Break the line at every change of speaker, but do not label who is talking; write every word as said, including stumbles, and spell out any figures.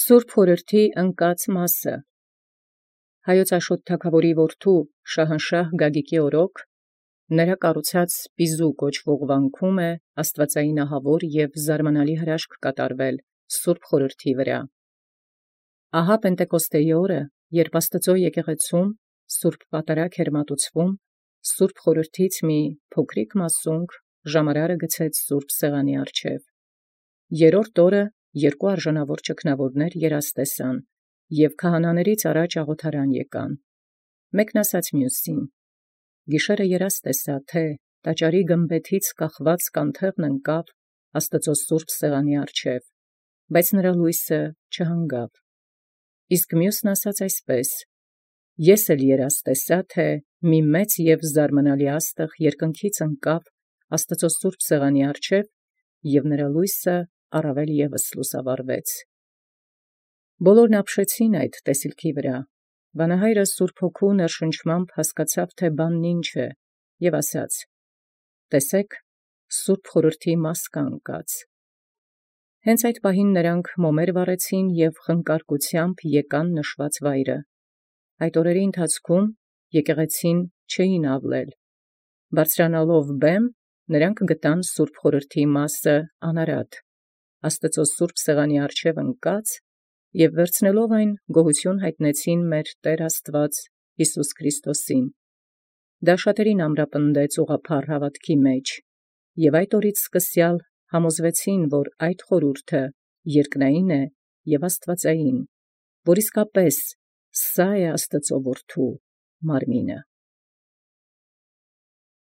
Սուրբ Խորհրդի ընկած մասը։ Հայոց Աշոտ թագաւորի որդու Շահանշահ Գագիկի օրոք նրա կառուցած պիզու կոչվող վանքում է աստուածային ահավոր և զարմանալի հրաշք կատարվել Սուրբ Խորհրդի վրա։ Ահա Պենտեկոստեի օրը, երբ Աստուծոյ եկեղեցում Սուրբ Պատարագ էր մատուցվում, Սուրբ Խորհրդից մի փոքրիկ մասունք ժամարարը գցեց Սուրբ Սեղանի առջև։ Երրորդ օրը երկու արժանավոր ճգնաւորներ երազ տեսան, և քահանաներից առաջ աղոթարան եկան։ Մեկն ասաց մյուսին. «Գիշերը երազ տեսա, թէ տաճարի գմբեթից կախված կանթեղն ընկավ Աստուծոյ Սուրբ Սեղանի առջև, բայց նրա լոյսը չհանգավ»։ Իսկ մյուսն ասաց այսպէս. «Ես էլ երազ տեսա, թէ մի մեծ և զարմանալի աստղ երկնքից ընկավ Աստուծոյ Սուրբ Սեղանի առջև, և նրա լոյսը առավել ևս լուսաւորվեց»։ Բոլորն ապշեցին այդ տեսիլքի վրա։ Վանահայրը Սուրբ Հոգու ներշնչմամբ հասկացավ, թէ բանն ինչ է, և ասաց. «Տեսէք, Սուրբ Խորհրդի մաս կա ընկած»։ Հենց այդ պահին նրանք մոմեր վառեցին և խնկարկությամբ եկան նշուած վայրը։ Այդ օրերի ընթացքում եկեղեցին չէին ավլել։ Բարձրանալով բեմ, նրանք գտան Սուրբ Խորհրդի մասը անարատ, Աստուծոյ Սուրբ Սեղանի առջև ընկած, և վերցնելով այն գոհություն յայտնեցին մեր Տէր Աստուած Յիսուս Քրիստոսին։ Դա շատերին ամրապնդեց ուղղափառ հաւատոյ մեջ, և այդ օրից սկսյալ համոզվեցին, որ այդ խորհուրդը երկնային է և աստուածային, որ իսկապէս սա է Աստուծոյ Որդու մարմինը։